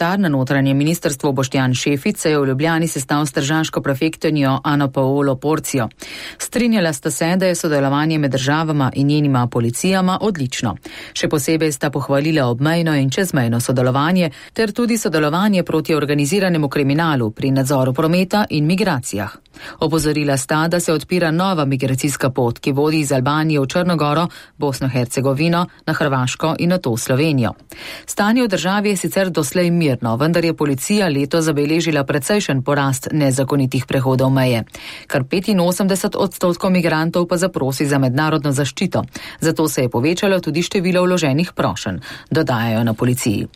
Na notranje ministrstvo Boštjan Šefic se je v Ljubljani sestal s tržaško prefektinjo Ano Paolo Porcijo. Strinjala sta se, da je sodelovanje med državama in njenima policijama odlično. Še posebej sta pohvalila obmejno in čezmejno sodelovanje ter tudi sodelovanje proti organiziranemu kriminalu pri nadzoru prometa in migracijah. Opozorila sta, da se odpira nova migracijska pot, ki vodi iz Albanije v Črnogoro, Bosno-Hercegovino, na Hrvaško in nato Slovenijo. Stanje v državi je sicer doslej mirno, vendar je policija letos zabeležila precejšen porast nezakonitih prehodov meje. Kar 85% migrantov pa zaprosi za mednarodno zaščito. Zato se je povečalo tudi število vloženih prošenj, dodajajo na policiji.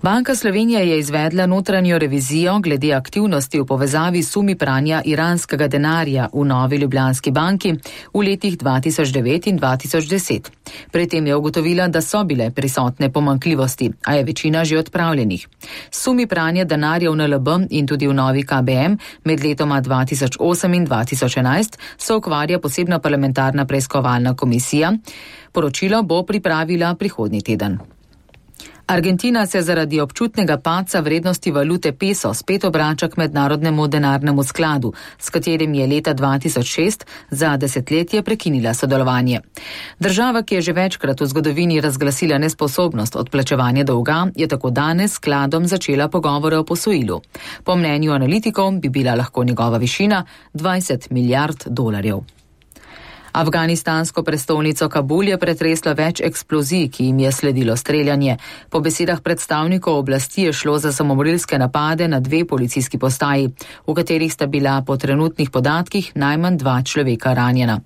Banka Slovenije je izvedla notranjo revizijo glede aktivnosti v povezavi s sumi pranja iranskega denarja v Novi Ljubljanski banki v letih 2009 in 2010. Pri tem je ugotovila, da so bile prisotne pomanjkljivosti, a je večina že odpravljenih. Sumi pranja denarja v NLB in tudi v Novi KBM med letoma 2008 in 2011 se ukvarja posebna parlamentarna preiskovalna komisija. Poročilo bo pripravila prihodnji teden. Argentina se zaradi občutnega padca vrednosti valute peso spet obrača k mednarodnemu denarnemu skladu, s katerim je leta 2006 za desetletje prekinila sodelovanje. Država, ki je že večkrat v zgodovini razglasila nesposobnost odplačevanja dolga, je tako danes skladom začela pogovore o posojilu. Po mnenju analitikov bi bila lahko njegova višina 20 milijard dolarjev. Afganistansko prestolnico Kabul je pretreslo več eksplozij, ki jim je sledilo streljanje. Po besedah predstavnikov oblasti je šlo za samomorilske napade na 2 policijski postaji, v katerih sta bila po trenutnih podatkih najmanj 2 človeka ranjena.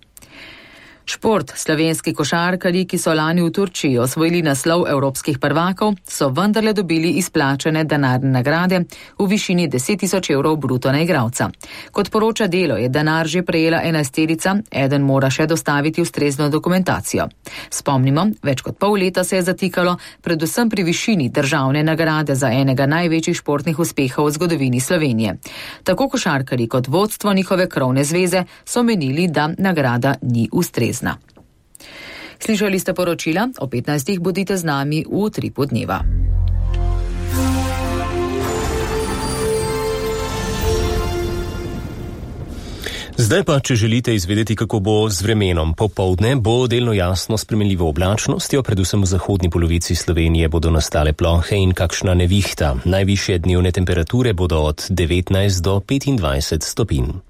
Šport. Slovenski košarkarji, ki so lani v Turčiji osvojili naslov evropskih prvakov, so vendarle dobili izplačane denarne nagrade v višini 10.000 evrov bruto na igralca. Kot poroča Delo, je denar že prejela 11-terica, eden mora še dostaviti ustrezno dokumentacijo. Spomnimo, več kot pol leta se je zatikalo, predvsem pri višini državne nagrade za enega največjih športnih uspehov v zgodovini Slovenije. Tako košarkarji kot vodstvo njihove krovne zveze so menili, da nagrada ni ustrezna. Slišali ste poročila, o 15. bodite z nami v Utripu dneva. Zdaj pa, če želite izvedeti, kako bo z vremenom popoldne, bo delno jasno spremenljivo oblačnostjo, predvsem v zahodni polovici Slovenije bodo nastale plohe in kakšna nevihta. Najvišje dnevne temperature bodo od 19 do 25 stopinj.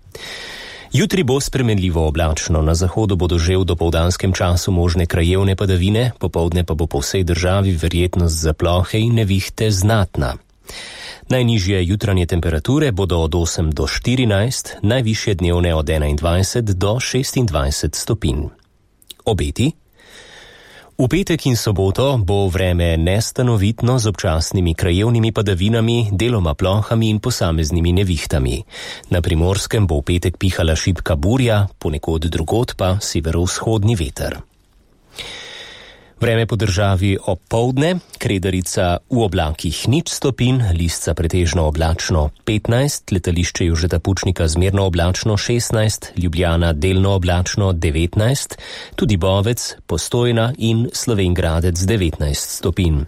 Jutri bo spremenljivo oblačno, na zahodu bodo že v dopoldanskem času možne krajevne padavine, popoldne pa bo po vsej državi verjetnost za plohe in nevihte znatna. Najnižje jutranje temperature bodo od 8 do 14, najvišje dnevne od 21 do 26 stopinj. Obeti? V petek in soboto bo vreme nestanovitno z občasnimi krajevnimi padavinami, deloma plohami in posameznimi nevihtami. Na Primorskem bo v petek pihala šibka burja, ponekod drugod pa severovzhodni veter. Vreme po državi opoldne, Kredarica v oblakih 0 stopinj, Lisca pretežno oblačno 15, letališče Jožeta Pučnika zmerno oblačno 16, Ljubljana delno oblačno 19, tudi Bovec, Postojna in Slovenj Gradec 19 stopinj.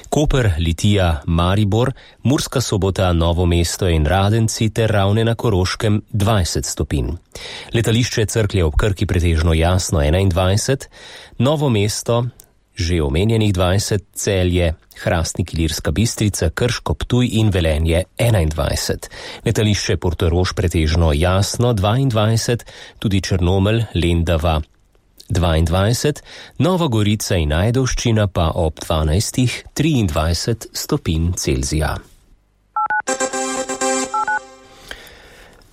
Koper, Litija, Maribor, Murska Sobota, Novo mesto in Radenci ter Ravne na Koroškem 20 stopinj. Letališče Cerklje ob Krki pretežno jasno 21, Novo mesto že omenjenih 20, Celje, Hrastnik, Ilirska Bistrica, Krško, Ptuj in Velenje 21. Letališče Portorož pretežno jasno 22, tudi Črnomelj, Lendava 22, Nova Gorica in Ajdovščina pa ob 12, 23 stopinj Celzija.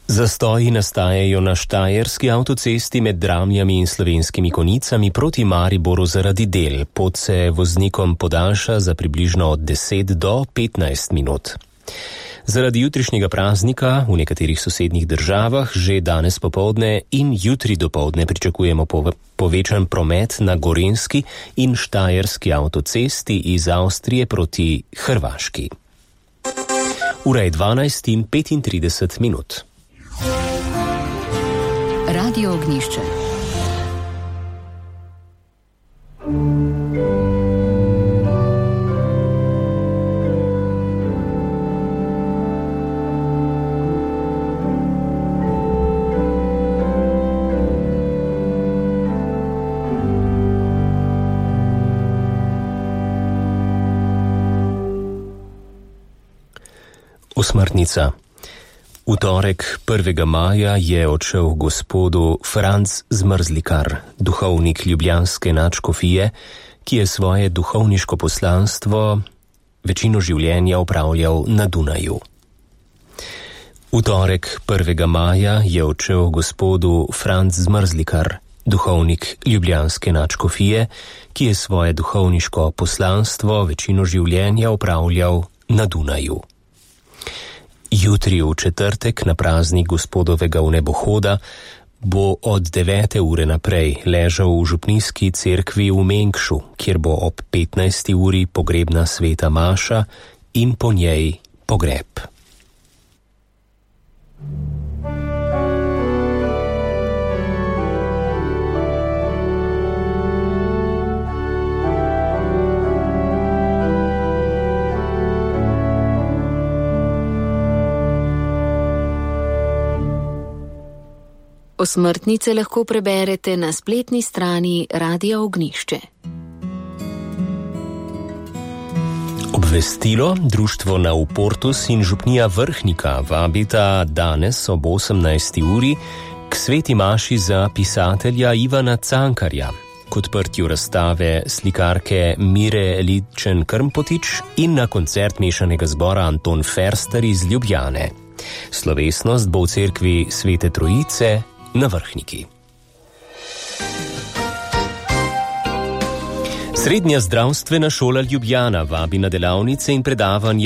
Zastoji nastajajo na Štajerski avtocesti med Dramljami in Slovenskimi Konicami proti Mariboru zaradi del. Pot se voznikom podaljša za približno od 10 do 15 minut. Zaradi jutrišnjega praznika v nekaterih sosednjih državah že danes popoldne in jutri dopoldne pričakujemo povečan promet na Gorenjski in Štajerski avtocesti iz Avstrije proti Hrvaški. Ura je 12 in 35 minut. Radio Ognjišče. Osmrtnica. V torek 1. maja je odšel gospodu Franc Zmrzlikar, duhovnik ljubljanske nadškofije, ki je svoje duhovniško poslanstvo večino življenja opravljal na Dunaju. V torek 1. maja je odšel gospodu Franc Zmrzlikar, duhovnik ljubljanske nadškofije, ki je svoje duhovniško poslanstvo večino življenja opravljal na Dunaju. Jutri v četrtek na praznik gospodovega vnebohoda bo od 9. ure naprej ležal v župnijski cerkvi v Mengšu, kjer bo ob 15. uri pogrebna sveta maša in po njej pogreb. Osmrtnice lahko preberete na spletni strani Radia Ognjišče. Obvestilo: Društvo Nauportus in župnija Vrhnika vabita danes ob 18. uri k sveti maši za pisatelja Ivana Cankarja, k odprtju razstave slikarke Mire Ličen-Krmpotič in na koncert mešanega zbora Anton Ferster iz Ljubljane. Slovesnost bo v cerkvi Svete Trojice na Vrhniki. Srednja zdravstvena šola Ljubljana vabi na delavnice in predavanja